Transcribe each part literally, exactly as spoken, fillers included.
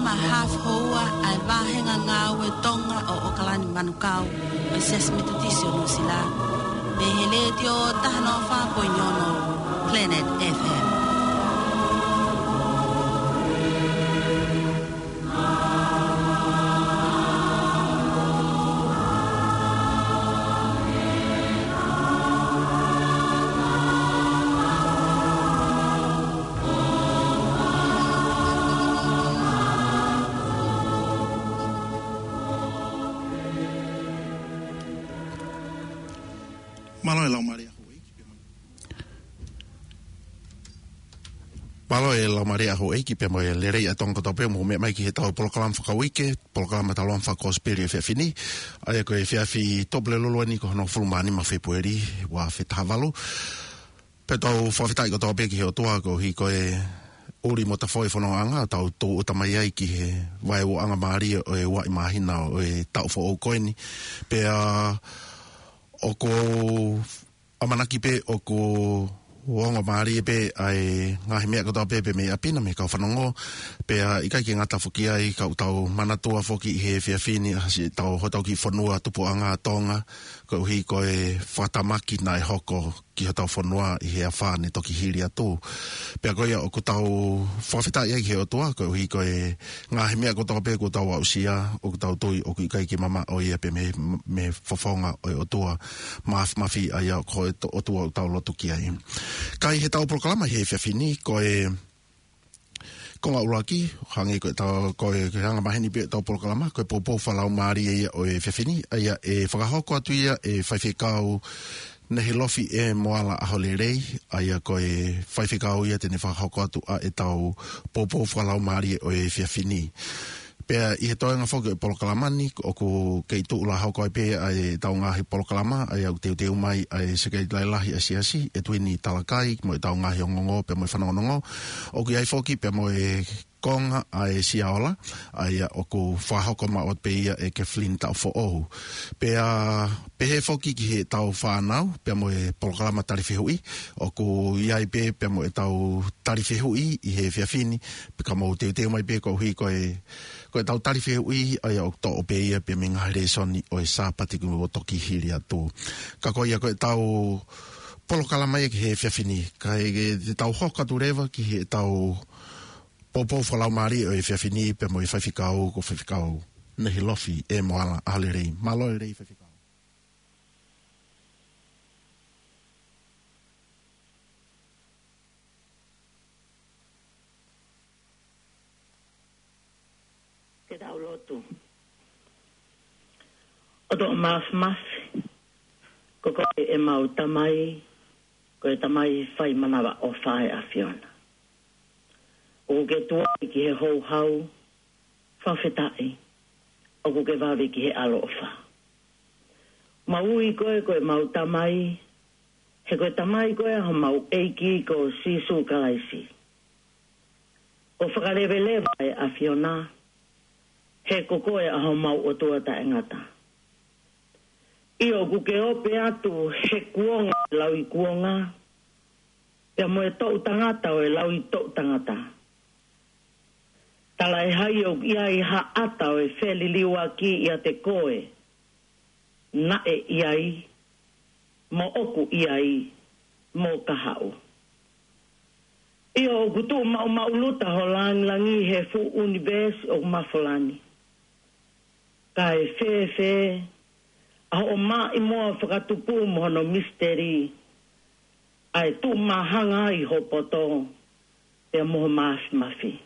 Ma hafu houa ʻa e vāhenga ngāue Tonga ʻo ʻOkalani Manukau ʻo e Siasi Metotisi ʻo Nuʻusila. Mei he Letiō taha noa fā poini ono Planet F M. Mālō e laumālie ʻa houʻeiki pea mo e Mālō e laumālie ʻa houʻeiki pea mo e lelei ʻa Tonga kotoa pē mou meʻa mai ki heʻetau polokalama fakauike, polokalama tauloa fakakosipeli ʻo e efiafi ni. ʻA ia ko e efiafi Tupulelulu eni ko hono hongofulu mā nima Fēpueli, ua afe taha valu. Pea tau fakafetaʻi kotoa pē ki he ʻOtua koeʻuhi ko e ʻuli mo tafoʻi e fonongaʻanga, tau tūʻuta mai ai ki he vaeuaʻanga mālie ʻo e uaʻi māhina ʻo e taʻu foʻou ko eni. Pea ʻoku ou ʻamanaki pē ʻoku ongo mālie pē ʻa e ngaahi meʻa kotoa pē pea mei ʻapi na mei he kau fanongo. Pea ʻikai ke ngata foki ai ka ʻoku tau manatua foki ʻi he efiafi ni ʻa siʻetau hotau kiʻi fonua tupuʻanga Tonga, koeʻuhi ko e fakatamaki naʻe hoko ki hotau fonua ʻi he afā ne toki hili atu. Pea ko ia ʻoku tau fakafetaʻi ai ki he ʻOtua, koeʻuhi ko e ngaahi meʻa kotoa pē kuo tau aʻusia, ʻoku tau tui ʻoku ʻikai ke mamaʻo ia pē mei, mei he fofonga ʻo e ʻOtua Māfimafi, ʻa ia ko e to-, ʻOtua ʻoku tau lotu ki ai. Ka ʻi heʻetau polokalama ʻi he efiafi ni, ko e konga ʻuluaki, hangē ko ʻetau, ko e, ko e anga maheni pē ʻetau polokalama, ko e poupou fakalaumālie ia ʻo e efiafi ni, ʻa ia ʻe fakahoko atu ia ʻe Faifekau Nehilofi E. Moala ʻAholelei, ʻa ia ko e faifekau ia te ne fakahoko atu ʻa ʻetau poupou fakalaumālie ʻo e efiafi ni. Pea ʻi he toenga foki ʻo e polokalama ni, ʻoku kei tuʻu lā hoko ai pē ʻa ʻetau ngaahi polokalama, ʻa ia ʻoku teuteu mai ʻa e Sekelitali Lahi ʻa e Siasi, ʻEtuini Talakai, mo ʻetau ngaahi ongoongo, pea mo e fanongonongo. ʻOku ʻi ai foki, pea mo e konga ʻa e Siaola, ʻa ia ʻoku fakahoko maʻu pē ia ʻe Kathleen Taʻofoʻou. Pea pehē foki ki heʻetau fānau, pea mo e polokalama tali fehuʻi, ʻoku ʻi ai pē, pea mo ʻetau tali fehuʻi ʻi he efiafi ni, pea ka mou teuteu mai pē koeʻuhi ko e, ko ʻetau tali fehuʻi, ʻa ia ʻoku toʻo pē ia pea mei he ngaahi lēsoni ʻo e Sāpate kuo toki hili atu. Ka ko ia ko ʻetau polokalama ia ki he efiafi ni, kae ke te tau hoko atu leva ki heʻetau poupou fakalaumālie ʻo e efiafi ni pea mo e faifekau ko Faifekau Nehilofi E. Moala ʻAholelei. Mālō e lelei faifekau. Ke tau lotu. ʻOtua Māfimafi, ko koe ʻemau Tamai, ko e Tamai fai manavaʻofa ʻa e ʻAfiona. ʻOku ke tuai ki he houhau, fakafetaʻi, ʻoku ke vave ki he ʻaloʻofa. Mau ui koe ko ʻemau Tamai, he ko e Tamai koe ʻa homau ʻEiki ko Sīsū Kalaisi. ʻOku fakaleveleva ʻa e ʻAfiona, he ko koe ʻa homau ʻOtua taʻengata. ʻIo, ʻoku ke ope atu he kuonga ʻo e lauikuonga, pea mo e toʻutangata ʻo e lauitoʻutangata. Talaʻehai ʻoku ʻi ai ha ʻata ʻo e feliliuaki ʻiate koe, naʻe ʻi ai, mo ʻoku ʻi ai, mo ka haʻu. ʻIo, ʻoku tuʻu maʻumaʻuluta ho langilangi he fuʻu ʻunivēsi ʻoku mafola ni. Kae fēfē ʻa hoʻo maʻimoa fakatupu mo hono misiteli, ʻa e tuʻu māhanga ʻi ho poto, pea mo ho māfimafi.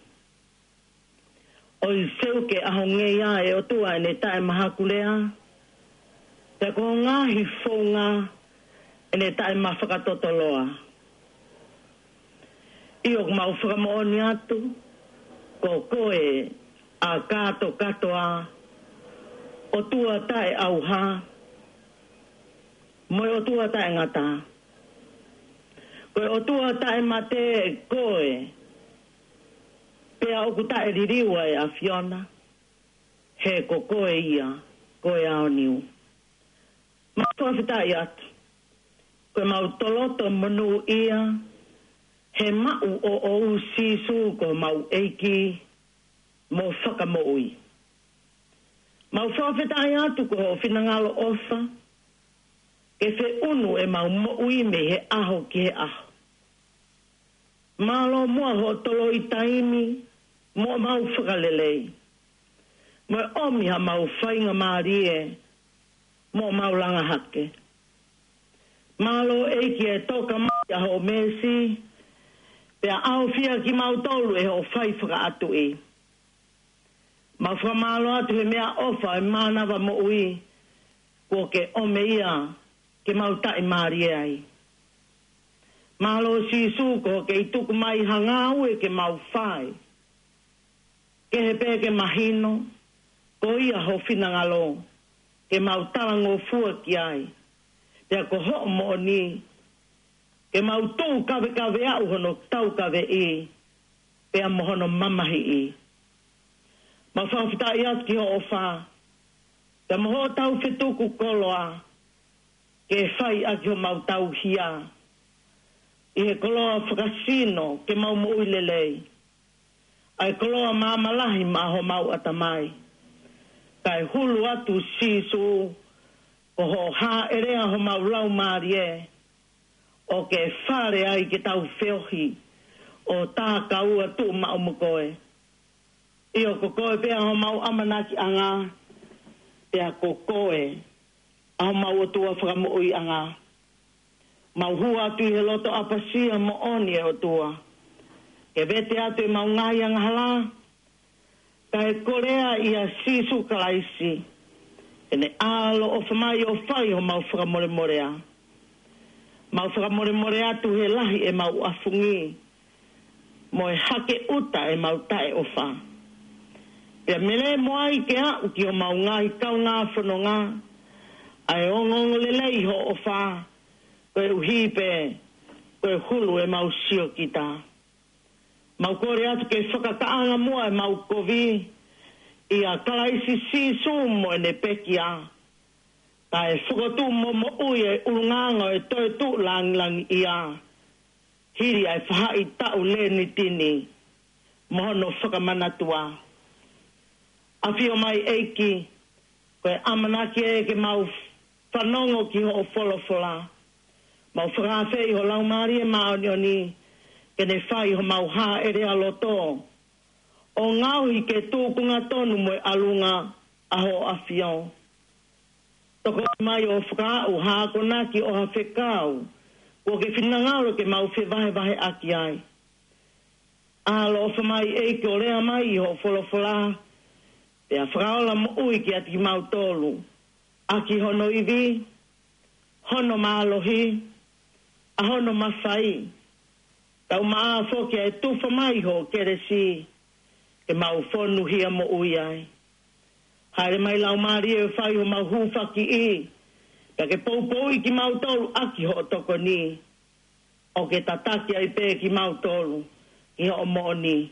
ʻOi, seuke ʻa ho ngeia ʻe ʻOtua ʻene taʻemahakulea, pea ko ho ngaahi founga ʻene taʻemafakatotoloa. ʻIo, ʻoku mau fakamoʻoni atu, ko koe ʻa kātokātoa, ʻOtua taʻeʻauha, mo e ʻOtua taʻengata. Ko e ʻOtua taʻemate koe, pea ʻoku taʻeliliu ʻa e ʻAfiona, he ko koe ia, ko e aoniu. Mau fakafetaʻi atu, ko ʻemau toloto monūʻia, he maʻu ʻo ʻou Sīsū ko homau ʻEiki, mo fakamoʻui. Mau fakafetaʻi atu ko hoʻo finangalo ʻofa ke feʻunu ʻemau moʻui mei he ʻaho ki he ʻaho. Mālō muʻa hoʻo toloi taimi mo ʻemau fakalelei, mo e ʻomi haʻamau faingamālie mo ʻemau langa hake. Mālō ʻEiki e toka mai ʻa hoʻo meesi, pea ʻaofia kimautolu ʻe hoʻo fai fakaʻatuʻi. Mau fakamālō atu he meʻaʻofa e mānava moʻui kuo ke ʻomi ia ke mau taʻimālie ai. Mālō Sīsū ko hoʻo kei tuku mai ha ngāue ke mau fai, kehe pē ke mahino ko ia ho finangalo ke mau talangofua ki ai, pea ko hoʻo moʻoni ke mau tuʻu kavekave ʻaki hono taukaveʻi pea mo hono mamahiʻi. Mau fakafetaʻi atu ki hoʻo ʻofa pea mo hoʻo tau fetuku koloa ke fai ʻaki homau tauhi ʻi he koloa fakasino ke mau moʻui lelei, ʻa e koloa māmālahi maʻa homau ʻatamai. Kae hulu atu Sīsū ko hoʻo hāʻelea homau laumālie ʻo ke fale ai ke tau feohi ʻo tākaua tuʻu maʻu mo koe. ʻIo, ko koe pē ʻa homau ʻamanakiʻanga, pea ko koe ʻa homau ʻOtua fakamoʻuiʻanga. Mau hū atu ʻi he loto ʻapasia moʻoni ʻe ʻOtua ke vete atu ʻemau ngaahi angahala, kae kolea ʻia Sīsū Kalaisi ʻene ʻaloʻofa mai ʻo fai homau fakamolemolea. Mau fakamolemole atu he lahi ʻemau ʻafungi mo e hake ʻuta ʻemau taʻeʻofa. Pea melemo ai ke aʻu ki homau ngaahi kaungā fononga ʻa e ongoongolelei hoʻo ʻofa, koeʻuhi pē ko e hulu ʻemau siokita. Mau kole atu ke fakakaʻanga muʻa ʻemau kovi ʻia Kalaisi Sīsū mo ʻene pekia, kae fokotuʻu mo moʻui e ʻulungaanga ʻo e toetuʻu langilangiʻia hili ʻa e faʻahitaʻu lenitini mo hono fakamanatua. ʻAfio mai ʻEiki, ko e ʻamanaki ē ke mau fanongo ki hoʻo folofola. Mau fakaafeʻi ho Laumālie Māʻoniʻoni ke ne fai homau hāʻelea loto ʻo ngaohi ke tūkunga tonu mo e ʻalunga ʻa hoʻo ʻAfio. Tokoni mai ʻo fakaaʻu ha akonaki ʻo ha fekau kuo ke finangalo ke mau fevahevaheʻaki ai. ʻAloʻofa mai ʻEiki ʻo lea mai ʻi hoʻo folofola, pea fakaola moʻui kiate kimautolu ʻaki hono ivi, hono mālohi, ʻa hono mafai, kae ʻumaʻā foki ʻa e tufa mai hoʻo kelesi ke mau fonuhia moʻui ai. Hāʻele mai Laumālie ʻo fai homau hūfakiʻi, pea ke poupouʻi kimautolu ʻaki hoʻo tokoni, ʻo ke tataki ai pē kimautolu ki hoʻo moʻoni.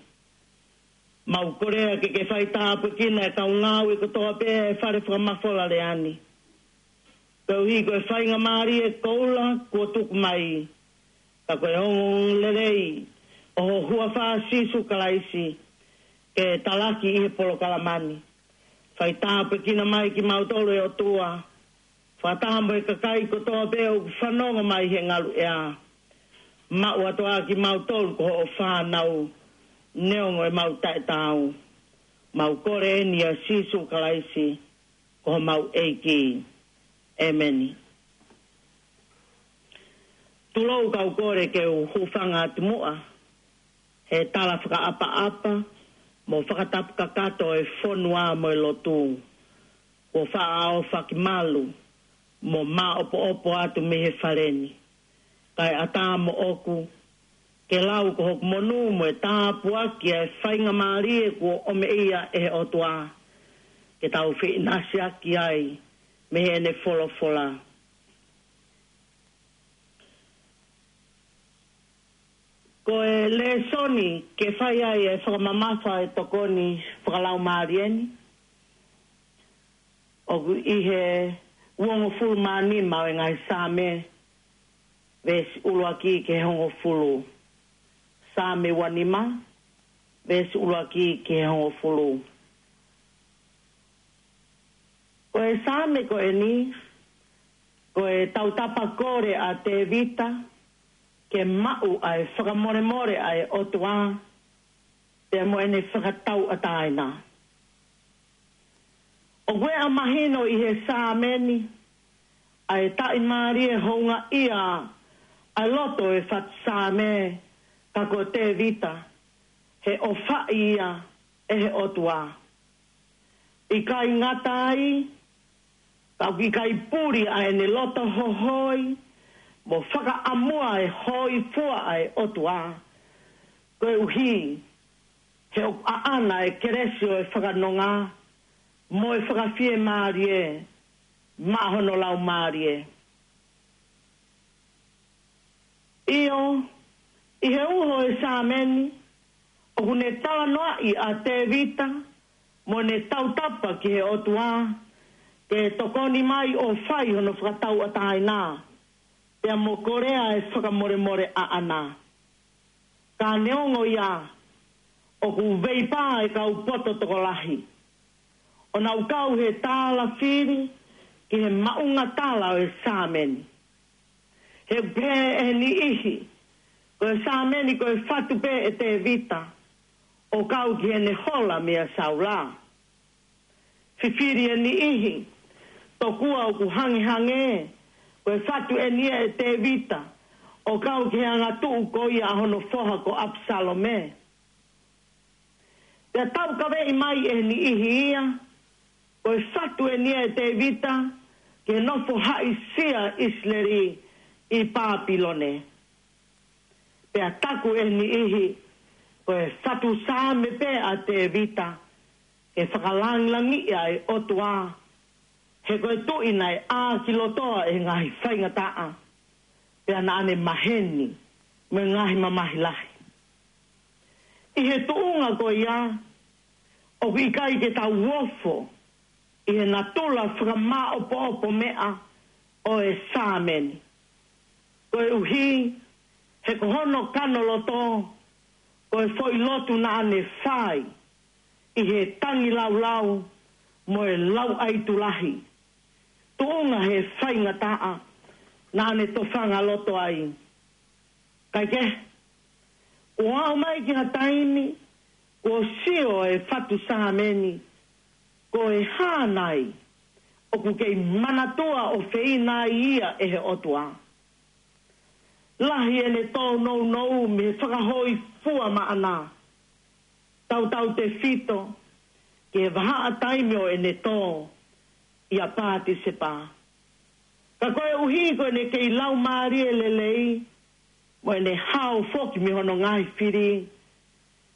Mau kole ke ke fai tāpuekina e kau ngāue kotoa pē ʻa e fale fakamafola lea ni, koeʻuhi ko e faingamālie koula kuo tuku mai, ka ko e ongoongolelei ʻo ho huafa Sīsū Kalaisi ke talaki ʻi he polokalama ni. Fai tāpuekina mai kimautolu ʻe ʻOtua. Fakataha mo e kakai kotoa pē ʻoku fanongo mai he ngaluʻea. Maʻu atu ā kimautolu ko hoʻo fānau, neongo ʻemau taʻetaau. Mau kole eni ʻia Sīsū Kalaisi ko homau ʻEiki. ʻĒmeni. Tulou kau kole ke u hūfanga atu muʻa he tala fakaʻapaʻapa mo fakatapu kakato e fonua mo e lotu. Kuo faʻa ʻaofaki malu mo māʻopoʻopo atu mei he fale ni. Kae ʻatā moʻoku ke lau ko hoku monū mo e tāpuaki ʻa e faingamālie kuo ʻomi ia ʻe he ʻOtua ke tau feʻinasiʻaki ai mei heʻene folofola. Ko e lēsoni ke fai ai e fakamamafa e tokoni fakalaumālie ni, ʻoku ʻi he uongofulu mā nima ʻo e ngaahi Saame, veesi ʻuluaki ki he hongofulu. Saame uanima, veesi ʻuluaki ki he hongofulu. Ko e Saame ko eni, ko e tautapa kole ʻa Tevita, ke maʻu ʻa e fakamolemole ʻa e ʻOtua, pea mo ʻene fakatauʻatāina. ʻOku ʻikai mahino ʻi he Saame ni, ʻa e taʻimālie houngaʻia ʻa e loto ʻo e fatu Saame, ka ko Tevita, he ʻofaʻi ia ʻe he ʻOtua. ʻIkai ngata ai, ka ʻoku ʻikai puli ʻa ʻene loto hohoi, mo fakaʻamua e hōifua ʻa e ʻOtua. Koeʻuhi, he ʻoku ʻaʻana e kelesi ʻo e fakanonga, mo e fakafiemālie, maʻa hono laumālie. ʻIo, ʻi he uho ʻo e Saame ni, ʻoku ne talanoaʻi ʻa Tevita, mo ʻene tautapa ki he ʻOtua, ke tokoni mai ʻo fai hono fakatauʻatāina, pea mo kolea e fakamolemole ʻaʻana. Ka neongo ia, ʻoku veipā e kau poto tokolahi, ʻo nau kau he tālafili ki he maʻuʻanga tala ʻo e Saame ni. He ʻoku pehē ʻe niʻihi, ko e Saame ni ko e fatu pē ʻe Tevita, ʻo kau ki heʻene hola meia Saula. Fifili ʻe niʻihi, tokua ʻoku hangehangē, ko e fatu eni ia ʻe Tevita, ʻo kau ki he angatuʻu ko ia ʻa hono foha ko ʻApisalome. Pea taukaveʻi mai ʻe niʻihi ia, ko e fatu eni ia ʻe Tevita, ke nofo haʻisia ʻIsileli ʻi Papilone. Pea taku ʻe niʻihi, ko e fatu Saame pē ʻa Tevita, ke fakalangilangiʻi ʻa e ʻOtua, he ko e tuʻi naʻe ʻākilotoa ʻe he ngaahi faingataʻa, pea naʻa ne maheni, mo e ngaahi mamahi lahi. ʻI he tuʻunga ko ia, ʻoku ʻikai ke tau ofo, ʻi he natula fakamāʻopoʻopo meʻa ʻo e Saame ni. Koeʻuhi, he ko hono kano loto, ko e foʻi lotu naʻa ne fai, ʻi he tangilaulau, mo e lauʻaitu lahi. Tuʻunga he faingataʻa, naʻa ne tofanga loto ai. Kaikehe, kuo aʻu mai ki ha taimi, kuo sio e fatu Saame ni, ko e hā nai, ʻoku kei manatua ʻofeina ai ia ʻe he ʻOtua. Lahi ʻene tōnounou mei he fakahōifua maʻana. Tautautefito, ki he vahaʻa taimi ʻo ʻene tō, ʻia Patisepa. Ka koeʻuhi ko ʻene kei laumālie lelei, mo ʻene hao foki mei hono ngaahi fili,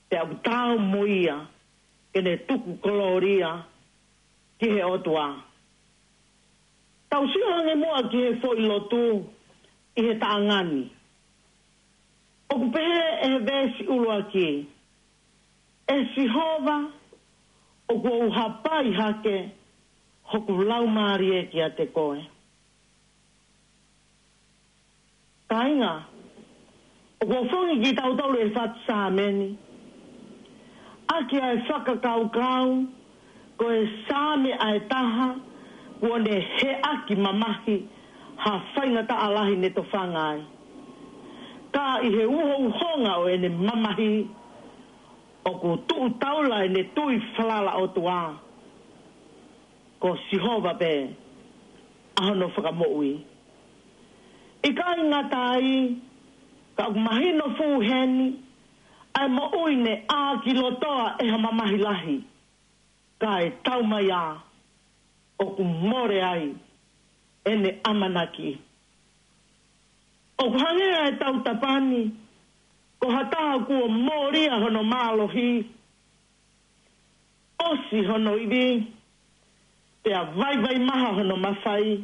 pea ʻoku taau mo ia, ke ne tuku kolōlia, ki he ʻOtua. Tau sio ange muʻa ki he foʻi lotu, ʻi he taʻanga ni. ʻOku pehē ʻe he veesi ʻuluaki, ʻE Sihova, ʻoku ou hapai hake, hoku laumālie kiate koe. Kāinga, ʻoku ou fanongo kitautolu he fatu Saame ni. ʻAki ʻa e fakakaukau, ko e Saame ʻa e taha, kuo ne heʻaki mamahi, ha faingataʻa lahi ne tofanga ai. Ka ʻi he uhouhonga ʻo ʻene mamahi, ʻoku tuʻu taula ʻene tui falala ʻOtua. Ko Sihova pē, ʻa hono fakamoʻui. ʻIkai ngata ai, ka ʻoku mahino fuʻu heni, ʻa e moʻui ne ʻākilotoa ʻe ha mamahi lahi. Kae taumaiā, ʻoku mole ai, ʻene ʻamanaki. ʻOku hangē ʻa e tautapa ni, ko ha taha kuo mōlia hono mālohi, ʻosi hono ivi, pea vaivai maha hono mafai,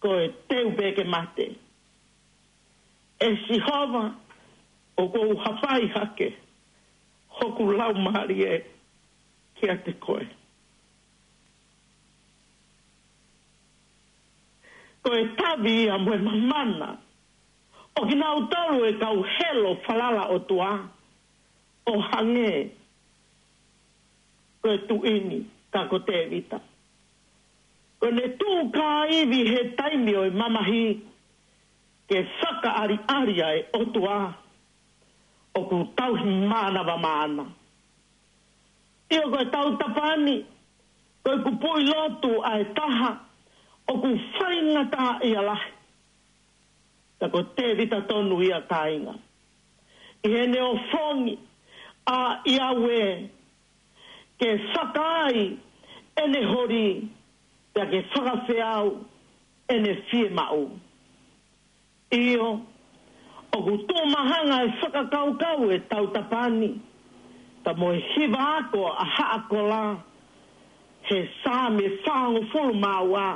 ko e teu pē ke mate. ʻE Sihova, ʻoku ou hapai hake, hoku laumālie kiate koe. Ko e tavi ia mo e mamana, ʻo kinautolu e kau helo falala ʻOtua, ʻo hangē ko e tuʻi ni, ka ko Tēvita. Ko ʻene tuʻu kāivi he taimi ʻo e mamahi, ke fakaʻaliʻali ʻa e ʻOtua, ʻoku tauhi mānava maʻana. ʻIo, ko e tautapa ni, ko e kupuʻi lotu ʻa e taha ʻoku faingataʻaʻia lahi. Ka ko Tēvita tonu ia, kāinga. ʻI heʻene ofongi ʻa ʻIaue ke fakaai ʻene holi, pea ke fakafeau ʻene fiemaʻu. ʻIo, ʻoku tuʻu mahanga e fakakaukau e tautapa ni, ka mo e hiva ako ʻa Haʻa Kola, he Saame fāngofulu mā ua,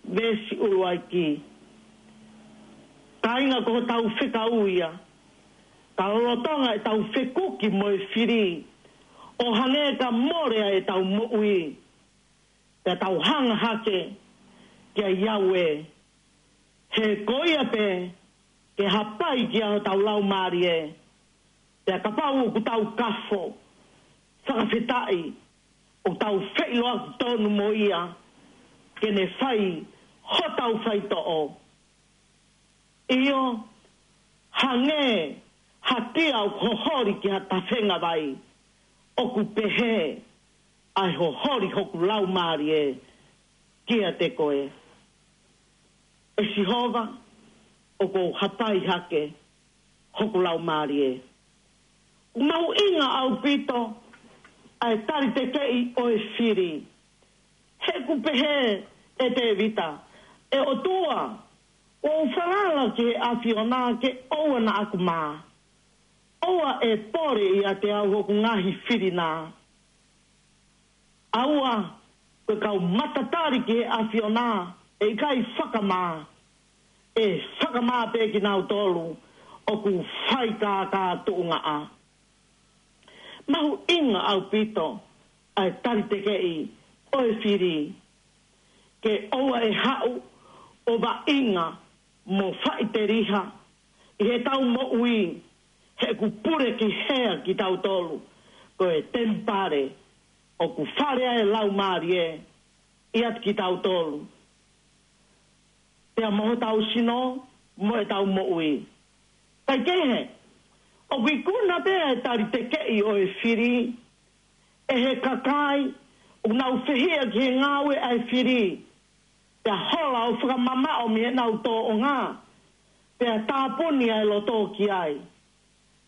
veesi ʻuluaki. Kāinga, ko hotau fekau ia, ka lolotonga ʻetau fekuki mo e fili, ʻo hangē ka mole ʻa ʻetau moʻui, pea tau hanga hake kia ʻIaue. He ko ia pē ke hapai kia hotau laumālie. Pea kapau ʻoku tau kafo, fakafetaʻi, ʻoku tau feʻiloaki tonu mo ia, ke ne fai hotau faitoʻo. ʻIo, hangē ha tia ʻoku hoholi ki ha tafenga vai, ʻoku pehē ʻa e hoholi hoku laumālie kiate koe. ʻE Sihova, ʻoku ou hapai hake hoku laumālie. ʻOku mahuʻinga ʻaupito ʻa e talitekeʻi ʻo e fili. He ʻoku pehē ʻe Tēvita, ʻE ʻOtua, ʻoku ou falala ki he ʻAfiona ke ʻoua naʻa ku mā. ʻOua ʻe pole ʻiate au hoku ngaahi fili na. ʻAua, ko e kau matatali ki he ʻAfiona, ʻe ʻikai fakamā, ʻe fakamā pē kinautolu ʻoku faikākā tuʻungaʻa. Mahuʻinga ʻaupito ʻa e talitekeʻi ʻo e fili. Ke ʻoua ʻe haʻu ʻo vaʻinga mo faʻiteliha ʻi heʻetau moʻui, he ʻoku pule ki hea kitautolu, ko e temipale ʻoku fale ai e laumālie ʻiate kitautolu, pea mo hotau sino, mo ʻetau moʻui. Kaikehe, ʻoku ikuna pē ʻa e talitekeʻi ʻo e fili ʻe he kakai ʻoku nau fehiʻa ki he ngāue ʻa e fili, pea hola ʻo fakamamaʻo mei heʻenau tōʻonga, pea tāpuni ʻa e loto ki ai.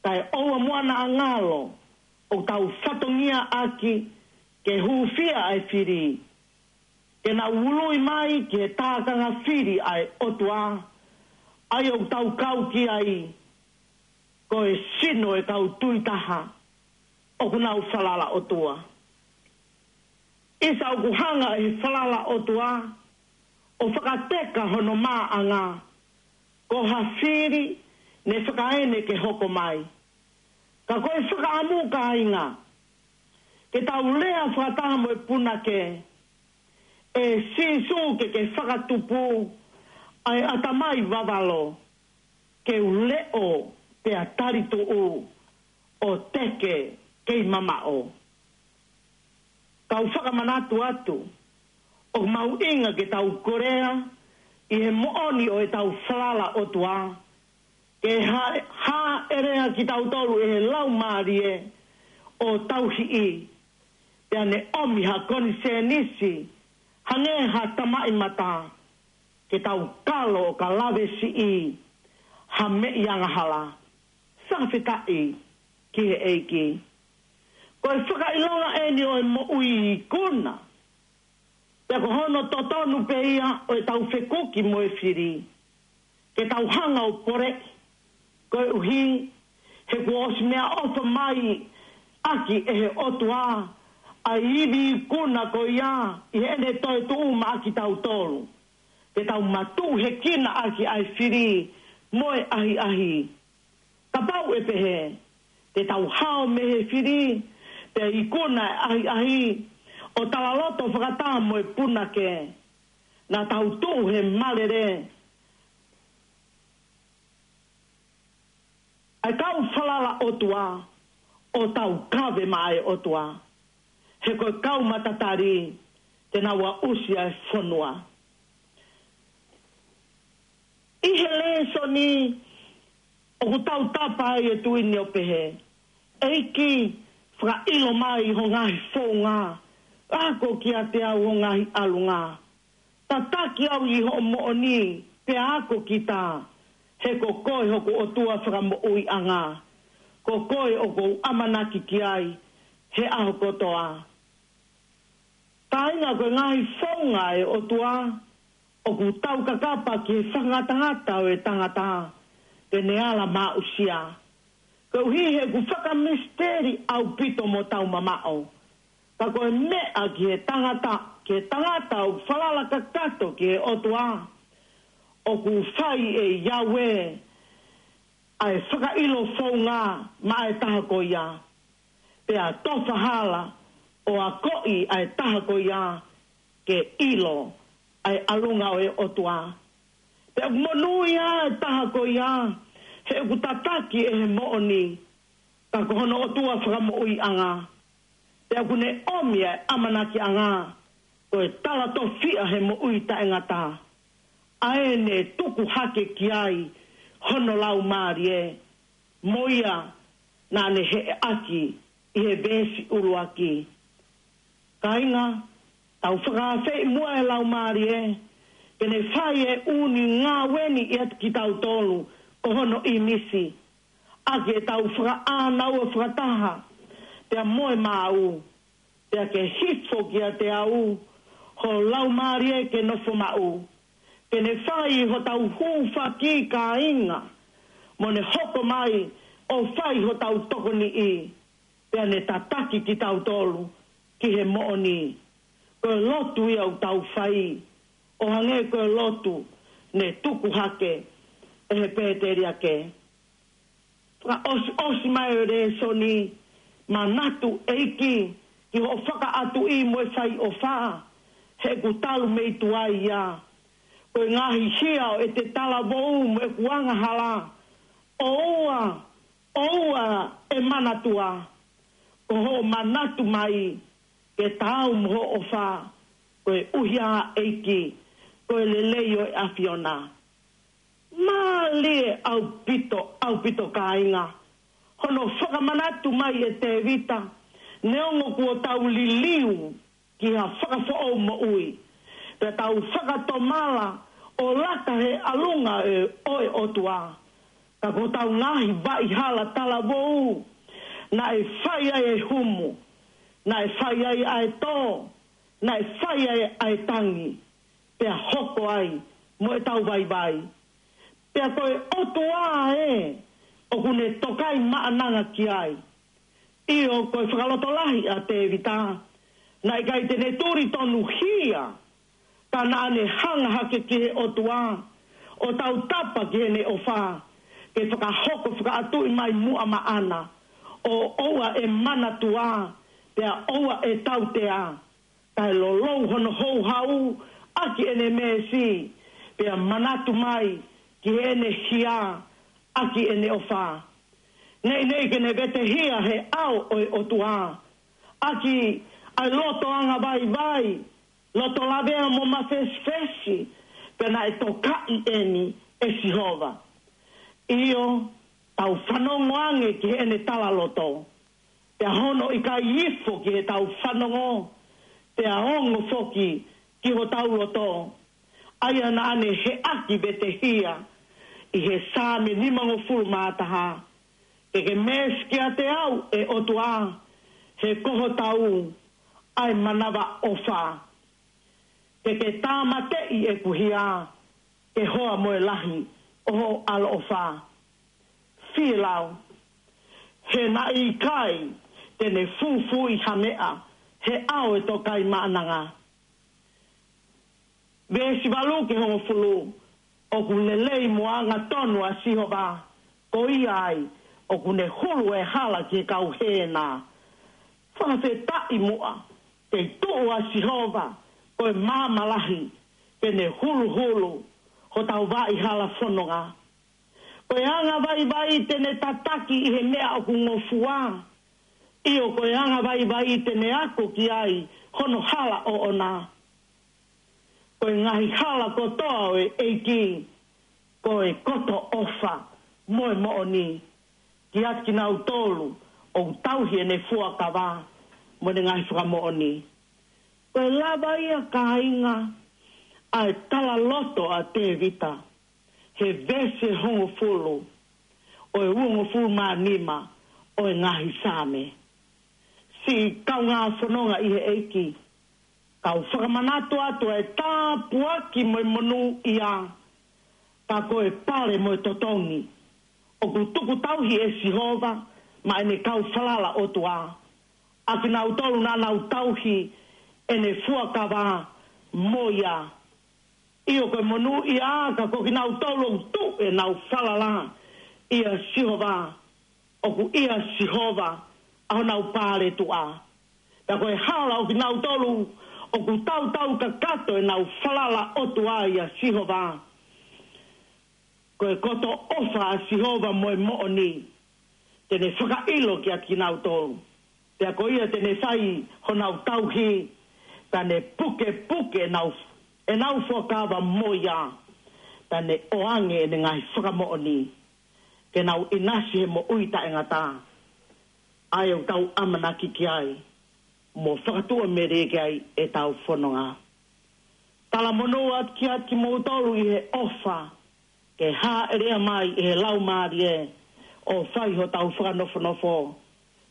Kae ʻoua muʻa naʻa ngalo ʻoku tau fatongia ʻaki ke hūfia ʻa e fili, ke nau ului mai ki he tākanga fili ʻa e ʻOtua, ʻa ia ʻoku tau kau ki ai, ko e sino e kau tui taha ʻoku nau falala ʻOtua. ʻIsa, ʻoku hanga ʻe he falala ʻOtua ʻo fakateka hono maʻanga, ko ha fili ne fakaene ke hoko mai. Ka ko e fakaʻamu, kāinga, ke tau lea fakataha mo e punake, ʻE Sīsū, ke ke fakatupu ʻa e ʻatamai vavalo, ke u leʻo pea talituʻu, ʻo teke kei mamaʻo. Kau fakamanatu atu, ʻoku mahuʻinga ke tau kolea ʻi he moʻoni ʻo ʻetau falala ʻOtua, ke ha-, hāʻele kitautolu ʻe he laumālie ʻo tauhi, pea ne ʻomi ha konisēnisi hangē ha tamaʻimata, ke tau kalo ʻo ka lave siʻi ha meʻi angahala. Fakafetaʻi ki he ʻEiki. Ko e fakaʻilonga ʻeni ʻo e moʻui ikuna, pea ko hono totonu pē ia ʻo ʻetau fekuki mo e fili, ke tau hanga ʻo pole, koeʻuhi he kuo ʻosi meʻaʻofa mai ʻaki ʻe he ʻOtua ʻa e ivi ikuna ko ia ʻi heʻene toetuʻu maʻa kitautolu, ke tau matuʻuhekina ʻaki ʻa e fili mo e ʻahiʻahi. Kapau ʻe pehē, te tau hao mei he fili, pea ikuna e ʻahiʻahi, ʻo talaloto fakataha mo e punake, naʻa tau tuʻu he malele. ʻA e kau falala ʻOtua, ʻo tau kave maʻa e ʻOtua. He ko e kau matatali te nau aʻusia e fonua. ʻI he lēsoni ʻoku tau tapa ai e tuʻi ni ʻo pehē: ʻEiki, fakaʻilo mai ho ngaahi founga, ako kiate au ho ngaahi ʻalunga. Tataki au ʻi hoʻo moʻoni, pea ako kita, he ko koe hoku ʻOtua fakamoʻuiʻanga. Ko koe ʻoku ou ʻamanaki ki ai he ʻaho kotoa. Kāinga, ko e ngaahi founga e ʻOtua ʻoku taukakapa ki he fakangatangata ʻo e tangata, te ne ala maʻusia. Koeʻuhi he ʻoku fakamisiteli ʻaupito mo tau mamaʻo. Ka ko e meʻa ki he tangata, ki he tangata ʻoku falala kakato ki he ʻOtua, ʻoku fai ʻe Yahweh ʻa e fakaʻilo founga maʻa e taha ko ia. Pea tofa hala ʻo akoʻi ʻa e taha ko ia ke ʻilo ʻa e ʻalunga ʻo e ʻOtua. Pea ʻoku monūʻia e taha ko ia, he ʻoku tataki ʻe he moʻoni, ka ko hono ʻOtua fakamoʻuiʻanga. Pea ʻoku ne ʻomi ʻa e ʻamanakiʻanga, ko e talatofiʻa he moʻui taʻengata, ʻa ē ne tuku hake ki ai hono laumālie, mo ia naʻa ne heʻeʻaki ʻi he veesi ʻuluaki. Kāinga, tau fakaafeʻi muʻa e laumālie ke ne fai e ʻū ngāue ni ʻiate kitautolu ko hono ʻīmisi, ʻaki ʻetau fakaʻānaua fakataha pea mo e maau, pea ke hifo kiate au ho laumālie ke nofo maʻu, ke ne fai hotau hūfaki, kāinga, mo ne hoko mai ʻo fai hotau tokoniʻi, pea ne tataki kitautolu ki he moʻoni. Ko e lotu ia ʻoku tau fai, ʻo hangē ko e lotu ne tuku hake ʻe he pēteliake. Fakaʻosiʻosi mai e lēsoni: Manatu, ʻEiki, ki hoʻo fakaʻatuʻi mo e fai ʻofa, he ʻoku talu mei tuai ia. Ko e ngaahi hia ʻo ʻete talavou mo ʻeku angahala, ʻoua, ʻoua ʻe manatua. Ko hoʻo manatu mai ke taau mo hoʻo ʻofa, koeʻuhi ā, ʻEiki, ko e lelei ʻo e ʻAfiona. Mālie ʻaupito, ʻaupito, kāinga, hono fakamanatu mai ʻe Tēvita, neongo kuo tau liliu ki ha fakafoʻou moʻui, pea tau fakatomala ʻo laka he ʻalunga ʻo e, ʻo e ʻOtua, ka ko hotau ngaahi vaʻihala talavou, naʻe fai ai e humu, naʻe fai ai ʻa e tō, naʻe fai ai ʻa e tangi, pea hoko ai mo ʻetau vaivai. Pea ko e ʻOtua ē ʻoku ne tokaimaʻananga ki ai. ʻIo, ko e fakalotolahi ʻa Tēvita, naʻe ʻikai te ne tuli tonuhia, ka naʻa ne hanga hake ki he ʻOtua, ʻo tautapa ki heʻene ʻofa, ke fakahoko fakaʻatuʻi mai muʻa maʻana, ʻo ʻoua ʻe manatua, pea ʻoua ʻe tautea, kae lolou hono houhau ʻaki ʻene meesi, pea manatu mai ki heʻene hia ʻaki ʻene ʻofa. Neʻineʻi ke ne vetehia he ʻao ʻo e ʻOtua, ʻaki ʻa e loto angavaivai, loto lavea mo mafesifesi, pea naʻe tokaʻi eni ʻe Sihova. ʻIo, tau fanongo ange ki heʻene talaloto, pea hono ʻikai ifo ki heʻetau fanongo, pea ongo foki ki hotau loto, ʻa ia naʻa ne heʻaki vetehia ʻi he Saame nimangofulu mā taha: Ke ke meesi kiate au, ʻe ʻOtua, he ko hotau ʻa e manavaʻofa. Ke ke tāmateʻi ʻeku hia, ke hoa mo e lahi ʻo hoʻo ʻaloʻofa. Fielau, he naʻe ʻikai te ne fufuuʻi ha meʻa he ʻao ʻo e tokaimaʻananga. Veesi valu ki he hongofulu: ʻOku lelei mo angatonu ʻa Sihova, ko ia ai ʻoku ne hulu e hala ki he kau hēna. Fakafetaʻi muʻa, tei tuʻu ʻa Sihova ko e maama lahi, ke ne huluhulu hotau vaʻihala fononga. Ko e angavaivai te ne tataki ʻi he meʻa ʻoku ngofua, ʻIo, ko e anga vaivai te ne ako ki ai hono hala ʻoʻona. Ko e ngaahi hala kotoa ʻo e ʻEiki, ko e koto ʻofa mo e moʻoni, kiate kinautolu ʻoku tauhi ʻene fuakava mo ʻene ngaahi fakamoʻoni. Ko e lava ia, kāinga, ʻa e talaloto ʻa Tēvita he veesi hongofulu ʻo e uongofulu mā nima ʻo e ngaahi Saame. Siʻi kaungā fononga ʻi he ʻEiki, kau fakamanatu atu ʻa e tāpuaki mo e monūʻia, ka ko e pale mo e totongi ʻoku tuku tauhi ʻe Sihova maʻa ʻene kau falala ʻOtua, ʻa kinautolu naʻa nau tauhi ʻene fuakava mo ia. ʻIo, ko e monūʻia, ka ko kinautolu ʻoku tuʻu ʻenau falala ʻia Sihova, ʻoku ʻia Sihova ʻa honau paletuʻa. Pea ko e hala ʻo kinautolu ʻoku tautau kakato ʻenau falala ʻOtua ʻia Sihova, ko e koto ʻofa ʻa Sihova mo e moʻoni, te ne fakaʻilo kiate kinautolu. Pea ko ia te ne fai honau tauhi, pea ne pukepuke ʻenau, ʻenau fuakava mo ia, pea ne ʻoange ʻene ngaahi fakamoʻoni, ke nau ʻinasi he moʻui taʻengata. ʻA ia ʻoku tau ʻamanaki ki ai, mo fakatuʻamelie ki ai ʻetau fononga. Talamonū atu kiate kimoutolu ʻi he ʻofa, ke hāʻele mai ʻi he Laumālie ʻo fai hotau fakanofonofo,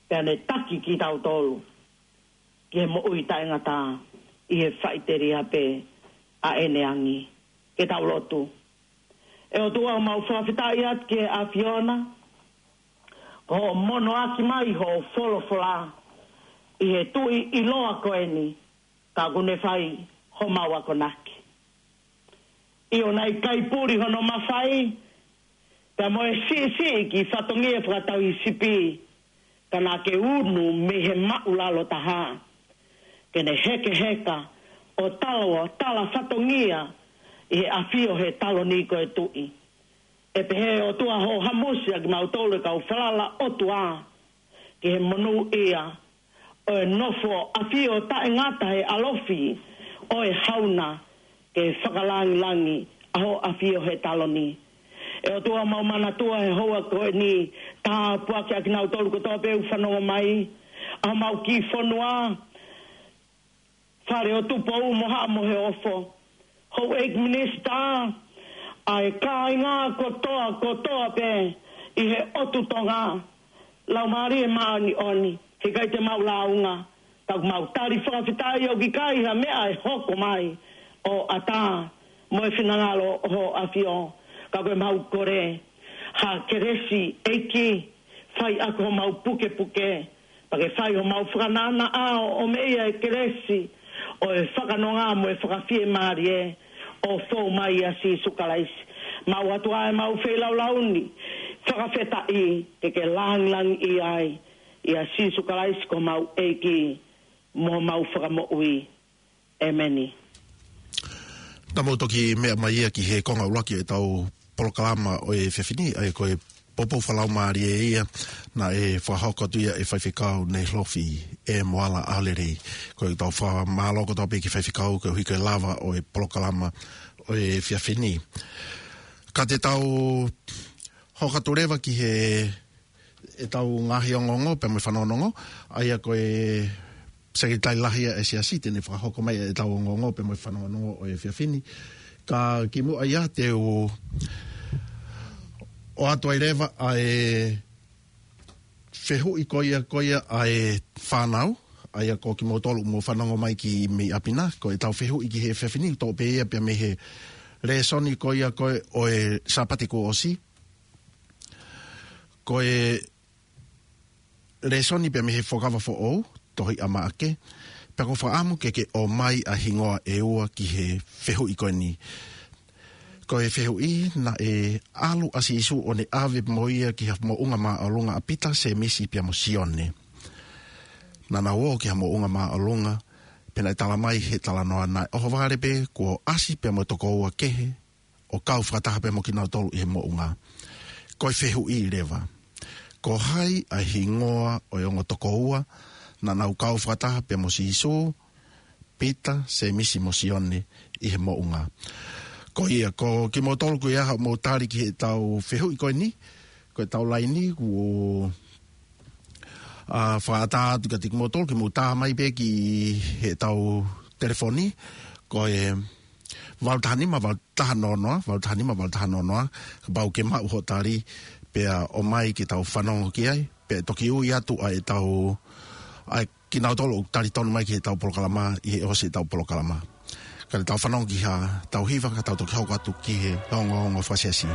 pea ne taki kitautolu ki he moʻui taʻengata ʻi he faʻiteliha pē ʻa ʻene angi. Ke tau lotu. ʻE ʻOtua, mau fakafetaʻi atu ki he ʻAfiona, ko hoʻo monoʻaki mai hoʻo folofola ʻi he tuʻi ʻiloa ko eni, ka ʻoku ne fai homau akonaki. ʻIo, naʻe ʻikai puli hono mafai, pea mo e siʻisiʻi ki fatongia fakatauhisipi, ka naʻa ke unu mei he māʻulalo taha, ke ne hekeheka ʻo tala, ʻo tala fatongia ʻi he ʻafio he taloni ko e tuʻi. ʻE pehē ʻOtua, hoʻo hamusi ʻa kimautolu e kau falala ʻOtua ki he monūʻia ʻo e nofo ʻafio taʻengata he ʻalofi ʻo e hauna, ke fakalangilangi ʻa hoʻo ʻafio he taloni. ʻE ʻOtua, mau manatua he houa ko eni, tāpuakiʻi ʻa kinautolu kotoa pē ʻoku fanongo mai, ʻa homau kiʻi fonua, Fale ʻo Tupou mo Haʻa Moheofo, houʻeiki minisitā, ʻa e kāinga kotoa, kotoa pē ʻi he ʻotu Tonga, Laumālie Māʻoniʻoni, he ʻikai te mau lāunga, ka ʻoku mau tali fakafetaʻi ʻoku ʻikai ha meʻa ʻe hoko mai ʻo ʻatā mo e finangalo ʻo hoʻo ʻAfio, ka ko e mau kole ha kelesi, ʻEiki, fai ʻaki homau pukepuke, pea ke fai homau fakananaʻa ʻo, ʻo meʻa ʻa e kelesi ʻo e fakanonga mo e fakafiemālie ʻo fou mai ʻia Sīsū Kalaisi. Mau ʻoatu ʻa e mau feilaulau ni, fakafetaʻi, ke ke langilangiʻia ai, ʻia Sīsū Kalaisi ko homau ʻEiki mo homau Fakamoʻui. ʻEmeni. Naʻa mou toki meʻa mai ia ki he konga ʻuluaki ʻetau polokalama ʻo e efiafi ni, ʻa ia ko e poupou fakalaumālie ia naʻe fakahoko atu ia ʻe Faifekau Neilofi ʻe Moala ʻAlelei. Ko ʻetau fakamālō kotoa pē ki he Faifekau koeʻuhi ko e lava ʻo e polokalama ʻo e efiafi ni. Ka te tau hoko atu leva ki he ʻetau ngaahi ongoongo pea mo e fanongonongo, ʻa ia ko e Sekelitali Lahi ʻa e Siasi te ne fakahoko mai ʻetau ongoongo pea mo e fanongonongo ʻo e efiafi ni. Ka kimuʻa ia te u ʻoatu ai leva ʻa e fehuʻi ko ia, ko ia ʻa e fānau, ʻa ia ko kimoutolu mou fanongo mai ki mei ʻapi na, ko ʻetau fehuʻi ki he efiafi ni, toʻo pē ia pea mei he lēsoni ko ia ko ē ʻo e Sāpate kuo ʻosi. Ko e lēsoni pea mei he Fuakava Foʻou, tohi ʻa Maʻake, pea ʻoku ou fakaʻamu ke ke ʻomai ʻa e hingoa ʻe ua ki he fehuʻi ko eni. Ko e fehuʻi, naʻe ʻalu ʻa Sīsū ʻo ne ʻave mo ia ki ha moʻunga māʻolunga ʻa Pita, Sēmisi pea mo Sione. Naʻa nau ō ki ha moʻunga māʻolunga, pea naʻe talamai he talanoa naʻe ʻohovale pē kuo ʻasi pea mo e toko ua kehe, ʻo kau fakataha pea mo kinautolu ʻi he moʻunga. Ko e fehuʻi leva, Ko hai ʻa e hingoa ʻo e ongo tokoua naʻa nau kau fakataha pea mo Sīsū, Pita, Sēmisi mo Sione ʻi he moʻunga? Ko ia, ko kimoutolu ko ia hoʻomou tali ki heʻetau fehuʻi ko eni, ko ʻetau laini kuo, ā, fakaʻatā atu kiate kimoutolu ke mou tā mai pē ki heʻetau telefoni, ko e valu taha nima, valu taha noa noa, valu taha nima, valu taha noa noa, kapau ke maʻu hoʻo tali, pea ʻomai ke tau fanongo ki ai, pea toki ui atu ʻa ʻetau, ʻa kinautolu ʻoku talitonu mai ki heʻetau polokalama, ʻi he ʻosi ʻetau polokalama. Ka te tau fanongo ki haʻatau hiva, ka tau toki hoko atu ki he ongoongo fakasiasi.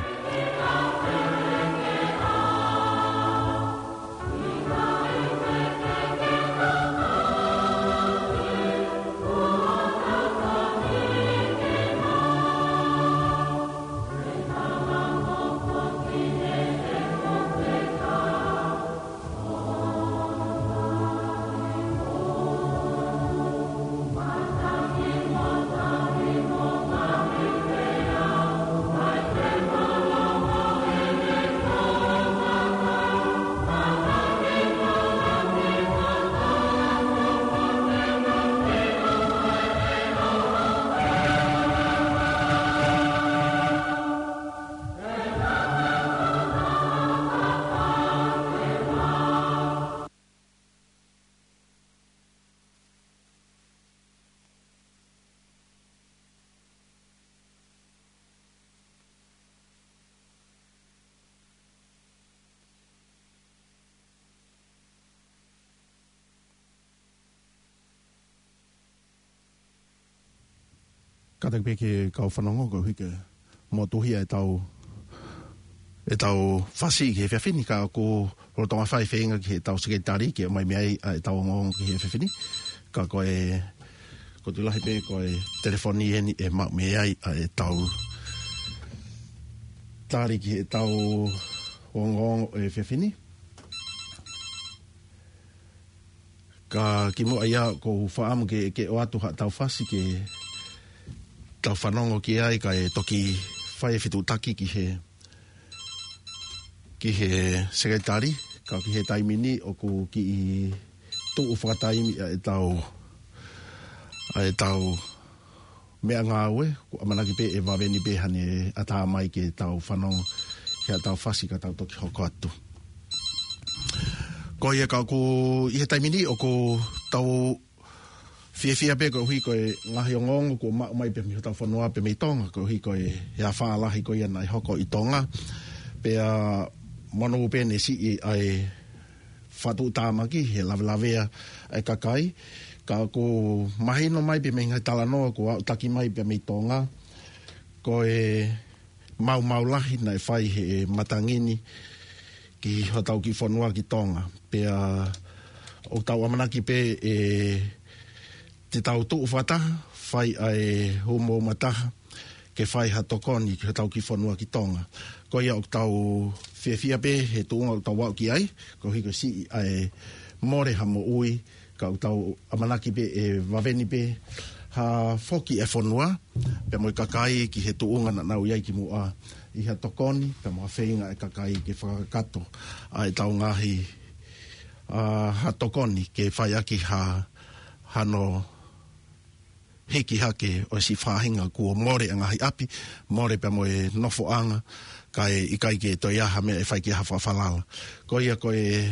Kātaki pē ke kau fanongo koeʻuhi ke motuhi ʻetau, ʻetau fasi ki he efiafi ni, ka ʻoku lolotonga fai feinga ki heʻetau sekelitali ke ʻomai mei ai ʻa ʻetau ongoongo ki he efiafi ni. Ka ko e, ko e tuʻu lahi pē ko e telefoni eni ʻe maʻu mei ai ʻa ʻetau tali ki heʻetau ongoongo ʻo e efiafi ni. Ka kimuʻa ia ʻoku ou fakaʻamu ke, ke ʻoatu haʻatau fasi ke tau fanongo ki ai kae toki fai e fetuʻutaki ki he, ki he sekelitali, ka ki he taimi ni ʻoku kiʻi tuʻu fakataimi ʻa ʻetau, ʻa ʻetau meʻangāue, ʻoku ʻamanaki pē ʻe vave ni pē haʻane ʻatā mai ke tau fanongo ki haʻatau fasi ka tau toki hoko atu. Ko ia ka ʻoku ʻi he taimi ni ʻoku tau fiefia pē koeʻuhi ko e ngaahi ongoongo kuo maʻu mai pē mei hotau fonua pē mei Tonga, koeʻuhi ko e, e afā lahi ko ia naʻe hoko ʻi Tonga. Pea monū pē ne siʻi ʻa e fakatuʻutāmaki he lavelavea ʻa e kakai. Ka ʻoku mahino mai pē mei he ngaahi talanoa kuo aʻutaki mai pē mei Tonga, ko e maumau lahi naʻe fai he matangi ni ki hotau kiʻi fonua ki Tonga. Pea ʻoku tau ʻamanaki pē ʻe te tau tuʻu fakataha, fai ʻa e hū mo uma taha, ke fai ha tokoni ki hotau kiʻi fonua ki Tonga. Ko ia ʻoku tau fiefia pē he tuʻunga ʻoku tau aʻu ki ai, koeʻuhi ko e siʻi ʻa e mole ha moʻui, ka ʻoku tau ʻamanaki pē ʻe vave ni pē ha foki e fonua, pea mo e kakai ki he tuʻunga naʻa nau ʻi ai kimuʻa ʻi ha tokoni, pea mo ha feinga e kakai ke fakakakato ʻa ʻetau ngaahi, ā, ha tokoni ke fai ʻaki ha, hano hiki hake ʻo e siʻi faʻahinga kuo mole ʻa e ngaahi ʻapi, mole pea mo e nofoʻanga, kae ʻikai ke toe ʻi ai ha meʻa ʻe fai ki ai ha fakafalala. Ko ia ko e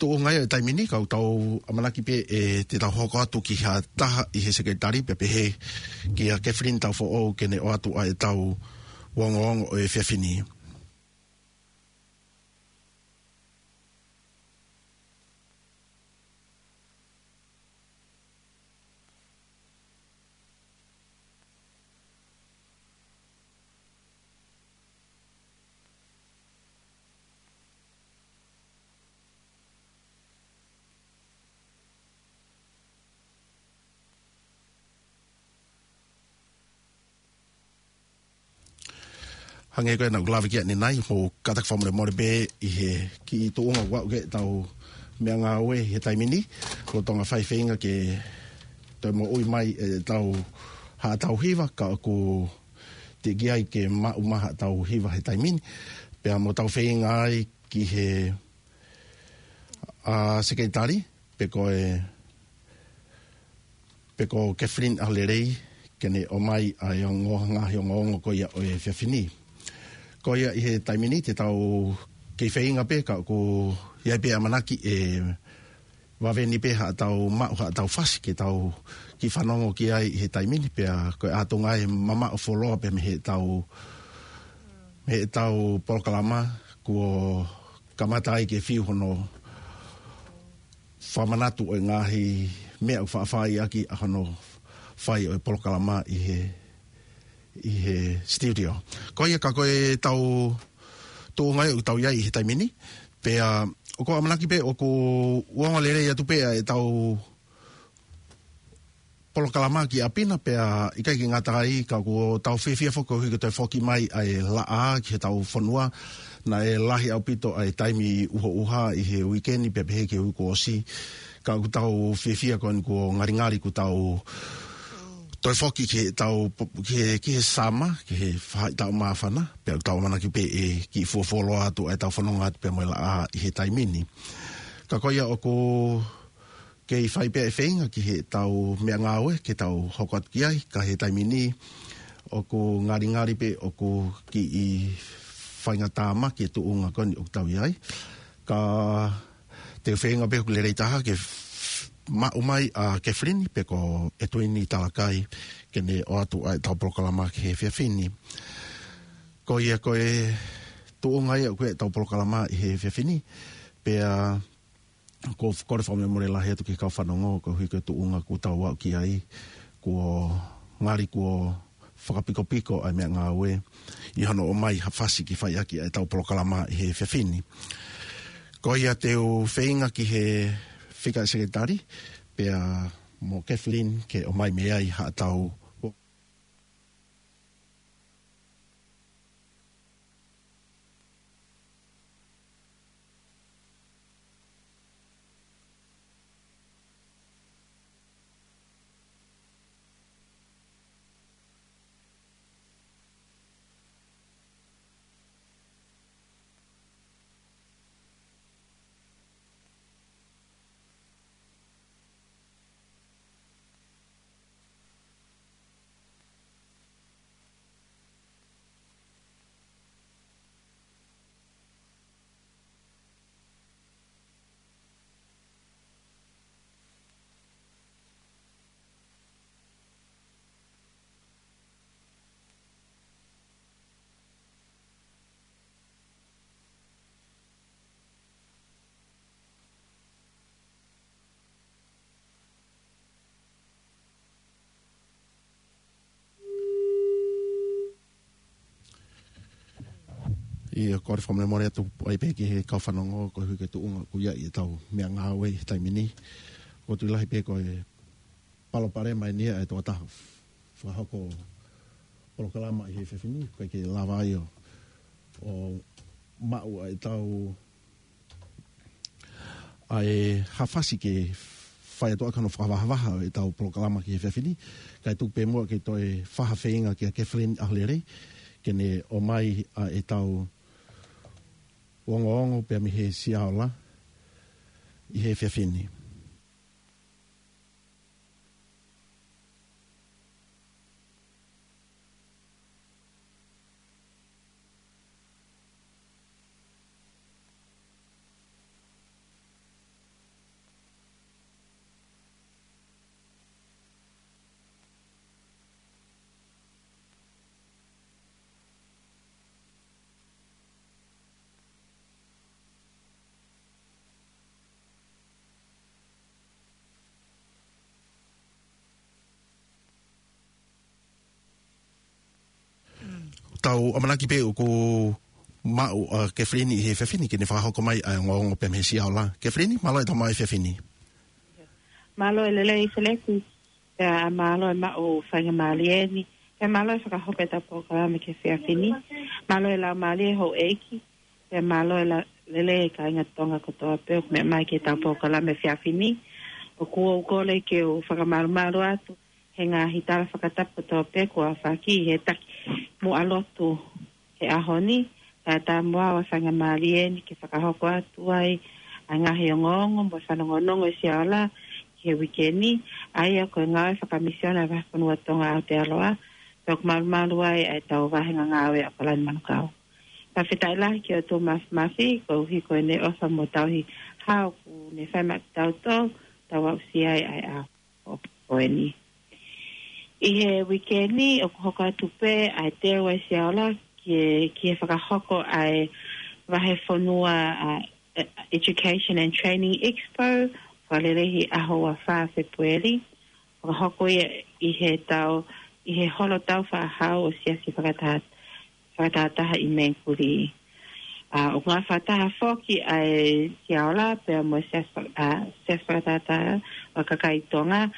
tuʻunga ia ʻo e taimi ni, ka ʻoku tau ʻamanaki pē ʻe te tau hoko atu ki ha taha ʻi he sekelitali pea pehē kia Kathleen Taufoʻou ke ne ʻoatu ʻa ʻetau ongoongo ʻo e efiafi ni. Hangē ko ia naʻa ku lave ki ai ʻanenai, mou kātaki fakamolemole pē ʻi he kiʻi tuʻunga ʻoku aʻu ki ai ʻetau meʻangāue he taimi ni, lolotonga fai feinga ke toe moʻui mai ʻetau haʻatau hiva, ka ʻoku teʻeki ai ke maʻu mai haʻatau hiva he taimi ni. Pea mo tau feinga ai ki he ʻa Sekelitali, pe ko e, pe ko Kathleen ʻAholelei, ke ne ʻomai ʻa e ongo, ngaahi ongoongo ko ia ʻo e efiafi ni. Ko ia ʻi he taimi ni te tau kei feinga pē, ka ʻoku ʻi ai pē ʻamanaki ʻe vave ni pē haʻatau maʻu haʻatau fasi ke tau kiʻi fanongo ki ai ʻi he taimi ni, pea ko e ʻatunga ʻe mamaʻo fuoloa pē mei heʻetau, mei heʻetau polokalama kuo kamata ai ke fiu hono fakamanatu ʻo e ngaahi meʻa ʻoku faʻa fai ʻaki ʻa hono fai ʻo e polokalama ʻi he, ʻi he studio. Ko ia ka ko ʻetau tuʻunga ia ʻoku tau ʻi ai ʻi he taimi ni, pea ʻoku ou ʻamanaki pē ʻoku ongo lelei atu pē ʻa ʻetau polokalama ki ʻapi na, pea ʻikai ke ngata ai ka ʻoku tau fiefia foki koeʻuhi ko e toe foki mai ʻa e laʻā ki heʻetau fonua. Naʻe lahi ʻaupito ʻa e taimi ʻuhoʻuha ʻi he uikeni pea pehē ki he uike kuo ʻosi. Ka ʻoku tau fiefia ko eni kuo ngalingali kuo tau toe foki ki heʻetau po-, ki he, ki he summer, ki he faʻahitaʻu māfana, pea ʻoku tau ʻamanaki pē ʻe kiʻi fuofuoloa atu ʻa ʻetau fononga atu pea mo e laʻā ʻi he taimi ni. Ka ko ia ʻoku kei fai pē ʻa e feinga ki heʻetau meʻangāue ke tau hoko atu ki ai, ka he taimi ni ʻoku ngalingali pē ʻoku kiʻi faingatāmaki e tuʻunga ko eni ʻoku tau ʻi ai. Ka te u feinga pē ʻoku lelei taha ke f-, maʻu mai ʻa Kathleen pe ko ʻEtuini Talakai ke ne ʻoatu ʻa ʻetau polokalama ki he efiafi ni. Ko ia ko e tuʻunga ia ʻoku ʻi ai ʻetau polokalama ʻi he efiafi ni, pea ʻoku ou kole fakamolemole lahi atu ki he kau fanongo, koeʻuhi ko e tuʻunga kuo tau aʻu ki ai, kuo ngali kuo fakapikopiko ʻa e meʻangāue ʻi hono ʻomai ha fasi ke fai ʻaki ʻa ʻetau polokalama ʻi he efiafi ni. Ko ia te u feinga ki he fika ʻe Sekelitali, pea mo Kathleen ke ʻomai mei ai haʻatau ʻIo, kole fakamolemole atu ai pē ki he kau fanongo, koeʻuhi ko e tuʻunga ʻoku ʻi ai ʻetau meʻangāue he taimi ni. ʻOku ou tui lahi pē ko e palopalema eni ia ʻa e tokotaha fakahoko polokalama ʻi he efiafi ni, ʻoku ʻikai ke lava ai ʻo, ʻo maʻu ʻa ʻetau ʻa e ha fasi ke fai atu ʻaki hono fakavahavaha ʻo ʻetau polokalama ki he efiafi ni, kae tuku pē muʻa ke toe fai ha feinga kia Kathleen ʻAholelei, ke ne ʻomai ʻa ʻetau ongoongo pea mei he Siaola ʻi he efiafi ni. Tau ʻamanaki pē ʻoku maʻu ʻa Kathleen ʻi he efiafi ni ke ne fakahoko mai ʻa e ongoongo pea mei he Siaola. Kathleen, mālō e tau maʻu e efiafi ni. Mālō e lelei Feleti, pea mālō e maʻu faingamālie ni, pea mālō e fakahoko ʻetau polokalama ki he efiafi ni, mālō e laumālie houʻeiki, pea mālō e la-, lelei e kāinga Tonga kotoa pē ʻoku meʻa mai ki heʻetau polokalama he efiafi ni. ʻOku ou kole ke u fakamalumalu atu he ngaahi tala fakatapu kotoa pē kuo aofaki ʻi he taki muʻa lotu he ʻaho ni, kae ʻatā mo au ʻa e faingamālie ni ke fakahoko atu ai ʻa e ngaahi ongoongo mo e fanongonongo ʻa Siaola ki he uike ni, ʻa ia ko e ngāue fakamisiona ʻa e Vahefonua Tonga ʻAotearoa, pea ʻoku malumalu ai ʻa e tau vahenga ngāue ʻa ʻAokalani Manukau. Fakafetaʻi lahi ki he ʻOtua Mafimafi, koeʻuhi ko ʻene ʻofa mo tauhi hao ʻoku ne fai maʻa kitautolu, tau aʻusia ai ʻa e ʻaho ko eni. ʻI he uike ni, ʻoku hoko atu pē ʻa e teu ʻa Siaola ki he, ki he fakahoko ʻa e Vahefonua, ʻa, Education and Training Expo, fakalelei he ʻaho ua fā Fepueli. Fakahoko ia ʻi he tau, ʻi he holo tau fāhau ʻo e Siasi Fakataha, Fakatahataha ʻi Mengkuli. ʻA, ʻoku ngāue fakataha foki ʻa e Siaola pea mo e Siasi Faka-, ʻa, Siasi Fakatahataha ʻo e Kakai Tonga,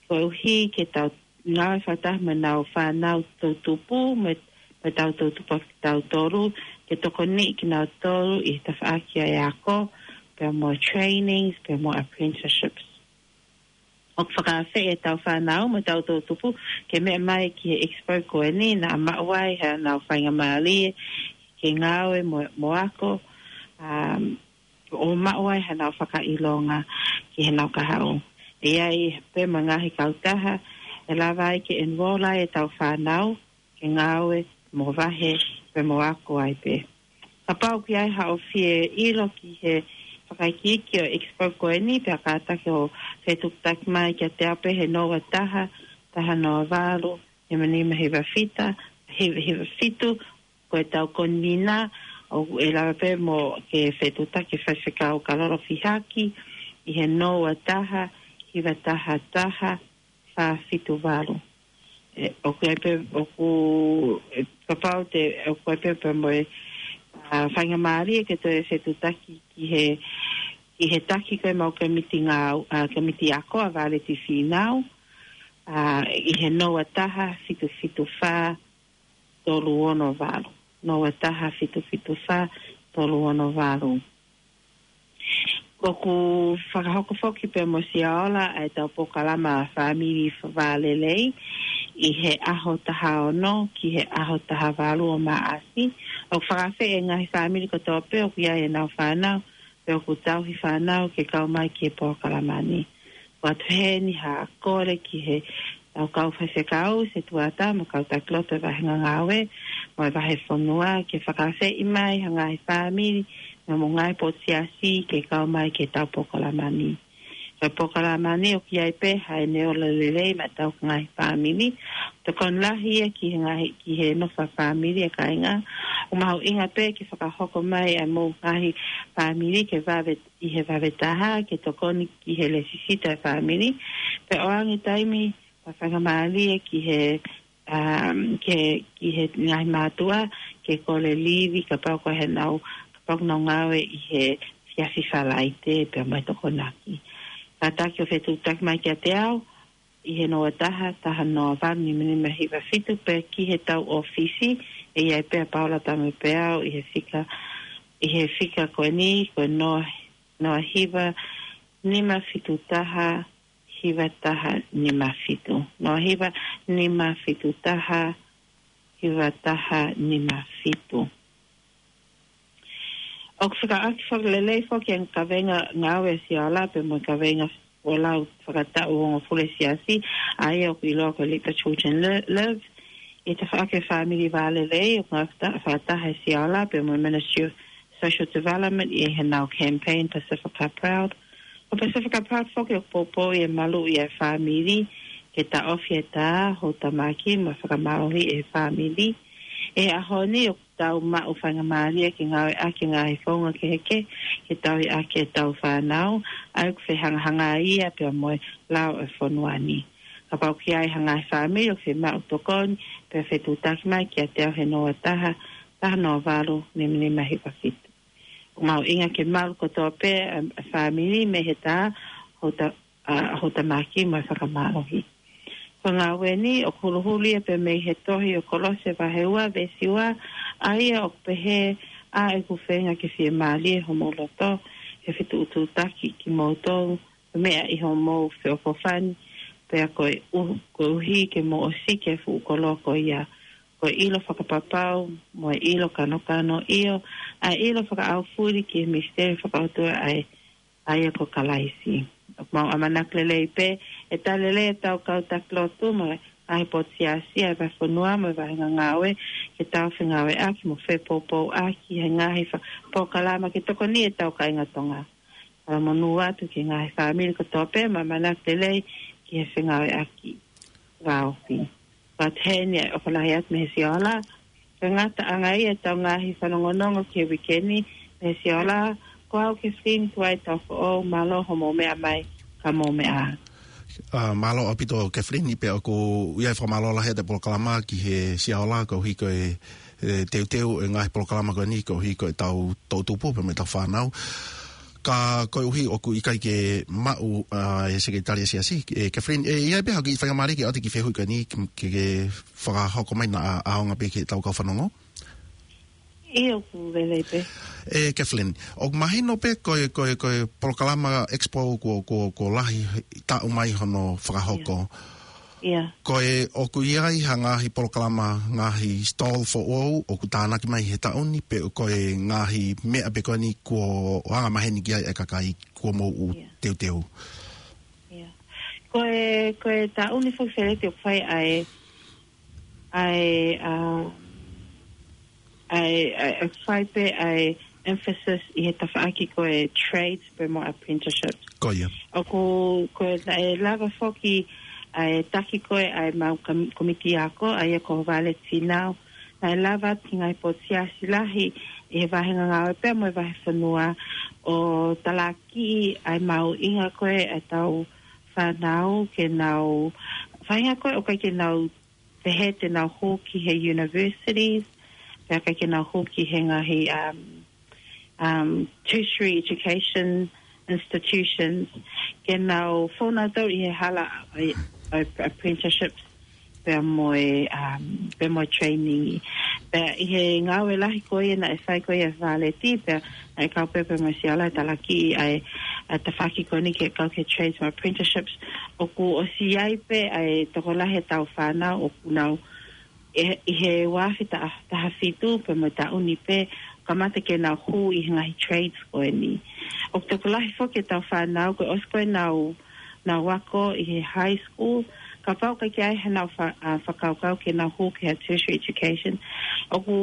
koeʻuhi ke tau ngāue fakataha mo ʻenau fānau toʻutupu, mo e, mo e tau toʻutupu ʻa kitautolu, ke tokoniʻi kinautolu ʻi he tafaʻaki ʻa e ako, pea mo e trainings, pea mo e apprenticeships. ʻOku fakaafeʻi ʻetau fānau mo e tau toʻutupu ke meʻa mai ki he expo ko eni, naʻa maʻu ai haʻanau faingamālie ke ngāue mo, mo ako, um, ʻo maʻu ai haʻanau fakaʻilonga ki heʻenau kahaʻu. ʻE ʻi ai pē mo e ngaahi kautaha ʻe lava ai ke enroll ai ʻetau fānau ke ngāue mo vahe pea mo ako ai pē. Kapau ʻoku ʻi ai haʻo fie ʻilo ki he fakaikiiki ʻo e expo ko eni, pea kātaki ʻo fetuʻutaki mai kiate au pē he noa taha, taha noa valu, nima nima hiva fitu, hiva, hiva fitu, ko ʻetau konvina, ʻoku ʻe lava pē mo ke fetuʻutaki Faifekau Kalolo Fihaki, ʻi he noa taha, hiva taha taha, fā fitu valu. ʻE, ʻoku ʻi ai pē, ʻoku, ʻe, kapau te, ʻoku ʻi ai pē pea mo e, ʻa, faingamālie ke toe fetuʻutaki ki he, ki he taki ko ē ʻemau kōmiti ngāu-, ʻa, kōmiti ako ʻa Valeti Fīnau, ʻa, ʻi he noa taha, fitu fitu fā, tolu ono valu. Noa taha, fitu fitu fā, tolu ono valu. ʻOku fakahoko foki pea mo Siaola ʻa ʻetau polokalama fāmili vālelei ʻi he ʻaho taha ono ki he ʻaho taha valu ʻo Maʻasi. ʻOku fakaafeʻi e ngaahi fāmili kotoa pē ʻoku ʻi ai ʻenau fānau, pea ʻoku tauhi fānau ke kau mai ki he polokalama ni. ʻOatu heni ha kole ki he tau kau faifekau, setuata mo e kau taki lotu ʻo e vahenga ngāue mo e vahefonua, ke fakaafeʻi mai ha ngaahi fāmili mo e ngaahi potu siasi ke kau mai ki he tau polokalama ni. Ko e polokalama ni ʻoku ʻi ai pē haʻane ola lelei maʻa ʻetau ngaahi fāmili. Tokoni lahi ia ki he ngaahi, ki he nofo ʻa e fāmili ʻa e kāinga. ʻOku mahuʻinga pē ke fakahoko mai ʻa e mou ngaahi fāmili ke vave ʻi he vave taha ke tokoni ki he lēsisita ʻa e fāmili. Pea ʻoange taimi mo e faingamālie ki he, um, ke, ki he ngaahi mātuʻa ke kole livi kapau ko ʻenau, kapau ʻoku nau ngāue ʻi he Siasi Falaite pea mo e Tokonaki. Kātaki ʻo fetuʻutaki mai kiate au ʻi he noa taha, taha noa valu, nima nima hiva fitu, pe ki he tau ʻōfisi, ʻe ʻi ai pē ʻa Paula Tamepeau ʻi he fika, ʻi he fika ko eni, ko e noa, noa hiva, nima fitu taha, hiva taha, nima fitu. Noa hiva, nima fitu taha, hiva taha, nima fitu. ʻOku fakaʻaki fakalelei foki ʻa e kaveinga ngāue ʻa Siaola pea mo e kaveinga folau fakataʻu hongofulu ʻa e Siasi, ʻa ia ʻoku ʻiloa ko e Let the Children Li-, Live. ʻI he tafaʻaki ʻo e fāmili vālelei, ʻoku ngāue fakata-, fakataha ʻa Siaola pea mo e Ministry of Social Development ʻi heʻenau campaign Pacifica Proud. Ko Pacifica Proud foki ʻoku poupouʻi e maluʻi ʻa e fāmili, ke taʻofi e tā, houtamaki mo e fakamālohi ʻa e fāmili. ʻI he ʻaho ni ʻoku tau maʻu faingamālie ke ngāueʻaki e ngaahi founga kehekehe ke tauhi ʻaki ʻetau fānau, ʻa ia ʻoku fehangahangai ia pea mo e lao ʻo e fonua ni. Kapau ʻoku ʻi ai ha ngaahi fāmili ʻoku fiemaʻu tokoni, pea fetuʻutaki mai kiate au he noa taha, taha noa valu, nima nima hiva fitu. ʻOku mahuʻinga ke malu kotoa pē ʻa e, ʻa e fāmili mei he tā, houta-, ʻa, houtamaki mo e fakamālohi. Ko e ngāue ni ʻoku huluhulu ia pē mei he tohi ʻo Kolose vahe ua veesi ua, ʻa ia ʻoku pehē, ʻa ʻeku feinga ke fiemālie homou loto, he fetuʻutuʻutaki kimoutolu, meʻa ʻi homou feʻofoʻofani, pea ko e ʻu-, koeʻuhi ke mou ʻosiki e fuʻu koloa ko ia ko e ʻilo fakapapau, mo e ʻilo kanokano, ʻio, ʻa e ʻilo fakaʻaufuli ki he misiteli fakaʻotua ʻa e, ʻa ia ko Kalaisi. ʻOku mau ʻamanaki lelei pē, ʻe tali lelei ʻetau kau taki lotu mo e ngaahi potu siasi ʻa e vahefonua mo e vahenga ngāue, ke tau fengāueʻaki mo fepoupouʻaki he ngaahi fa-, polokalama ke tokoni ʻetau kāinga Tonga. Fakamonū atu ki he ngaahi fāmili kotoa pē, mo ʻamanaki lelei ki he fengāueʻaki vāofi. Pea ʻoku heni ʻa e ʻofa lahi atu mei he Siola. Ko e ngataʻanga ia ʻetau ngaahi fanongonongo ki he uike ni mei he Siola. Ko au Kathleen Tuai Taufoʻou, mālō hoʻomou meʻa mai, ka mou meʻa. ʻA, mālō ʻaupito Kathleen, pea ʻoku ʻi ai e fakamālō lahi atu e polokalama ki he Siola, koeʻuhi ko e, e teuteu e ngaahi polokalama ko eni, koeʻuhi ko ʻetau toʻutupu pea mo ʻetau fānau. Ka koeʻuhi ʻoku ʻikai ke maʻu, ʻa, e Sekelitali ʻa e Siasi, e Kathleen, ʻe ʻi ai pē haʻo kiʻi faingamālie ke ʻoatu e kiʻi fehuʻi ko eni ke, ke, ke fakahoko mai naʻa ʻaonga pē ki heʻetau kau fanongo? ʻIo, ʻoku lelei pē. E Kathleen, ʻoku mahino pē ko e, ko e, ko e polokalama Expo kuo, kuo, kuo lahi taʻu mai hono fakahoko. ʻIa. Ko e ʻoku ʻi ai ha ngaahi polokalama, ngaahi stall foʻou ʻoku tānaki mai he taʻu ni, pe ko e ngaahi meʻa pē ko eni kuo anga maheni ki ai e kakai kuo mou ʻū teuteu? ʻIa. Ko e, ko e taʻu ni foki Feleti ʻoku fai ʻa e, ʻa e, ʻa, ʻa e, ʻa e, ʻa e fai pē ʻa e emphasis ʻi he tafaʻaki ko e trades pea mo e apprenticeships. Ko ia. ʻOku, ko e, naʻe lava foki ʻa e taki ko ē ʻa e mau kam-, komiti ako, ʻa ia ko Violet Finau. Naʻe lava atu ki he ngaahi potu siasi lahi ʻi he vahenga ngāue pea mo e vahefonua ʻo talakiʻi ʻa e mahuʻinga ko ē ʻa ʻetau fānau ke nau, faʻahinga ko ē ʻoku ʻikai ke nau pehē te nau hū ki he universities, pea ʻikai ke nau hū ki he ngaahi, um, um, tertiary education institutions, ke nau fou nautolu ʻi he hala ʻo e, ʻo e apprenticeships, pea mo e, um, pea mo e training. Pea ʻi he ngāue lahi ko ia naʻe fai ko ia ʻe Violet, pea naʻe kau pē pea mo e Siola ʻo talakiʻi ʻa e, ʻa e tafaʻaki ko eni ke kau ki he trades mo e apprenticeships. ʻOku ʻosi ʻi ai pē ʻa e tokolahi ʻetau fānau ʻoku nau, ʻi, ʻi he ua afe taha, taha fitu pea mo e taʻu ni pē, kamata ke nau hū ʻi he ngaahi trades ko eni. ʻOku tokolahi foki ʻetau fānau, kuo ʻosi ko ē ʻenau, ʻenau ako ʻi he high school, kapau ʻoku ʻikai ke ʻi ai haʻanau fa-, ʻa, fakakaukau ke nau hū ki he tertiary education. ʻOku,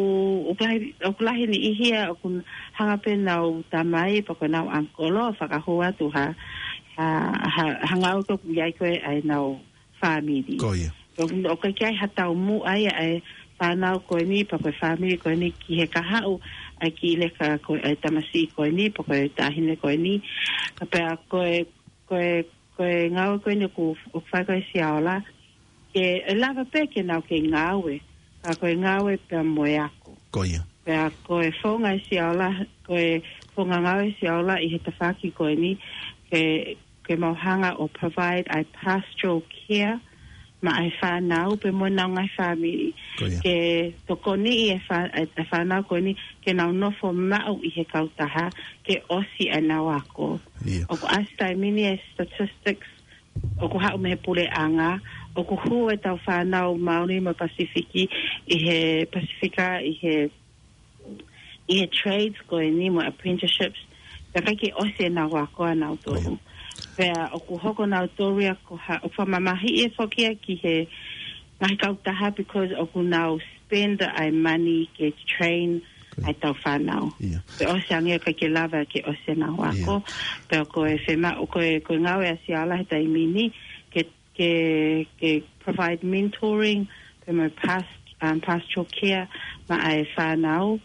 ʻoku lahi, ʻoku lahi e niʻihi ia ʻoku hanga pē ʻo nau tamai pe ko ʻenau uncle ʻo fakahū atu ha, ha, ha, ha ngāue ʻoku ʻi ai ko ē ʻa ʻenau fāmili. Ko ia. ʻOku, ʻoku ʻikai ke ʻi ai ha taumuʻa ia ʻa e fānau ko eni pe ko e fāmili ko eni ki he kahaʻu ʻa e kiʻi leka ko ē ʻa e tamasiʻi ko eni pe ko e taʻahine ko eni. Pea ko e, ko e, ko e ngāue ko eni ʻoku, ʻoku fai ko ē ʻe Siola, ke ʻe lava pē ke nau kei ngāue, ka ko e ngāue pea mo e ako. Ko ia. Pea ko e founga ʻe Siola, ko e founga ngāue ʻe Siola ʻi he tafaʻaki ko eni, ke, ke mau hanga ʻo provide ʻa e pastoral care maʻa e fānau pea mo ʻenau ngaahi fāmili. Ko ia. Ke tokoniʻi e fā-, e, e fānau ko eni ke nau nofo maʻu ʻi he kautaha ke ʻosi ʻenau ako. Ia. ʻOku ʻasi taimi ni e statistics ʻoku haʻu mei he puleʻanga, ʻoku hū ʻetau fānau Māori mo Pasifiki ʻi he Pasifika, ʻi he, ʻi he trades ko eni mo apprenticeships, pea ʻikai ke ʻosi ʻenau ako ʻanautolu. Ko ia. Pea ʻoku hoko nautolu ia ko ha, ʻoku fakamamahiʻi foki ia ki he ngaahi kautaha because ʻoku nau spend ʻa e money ke train Ko ia. ʻa ʻetau fānau. Ia. Pea ʻosi ange ʻikai ke lava ke ʻosi ʻenau ako. Ia. Pea ko e fema-, ko e, ko e ngāue ʻa Siola he taimi ni, ke, ke, ke provide mentoring, pea mo e past-, um, pastoral care maʻa e fānau.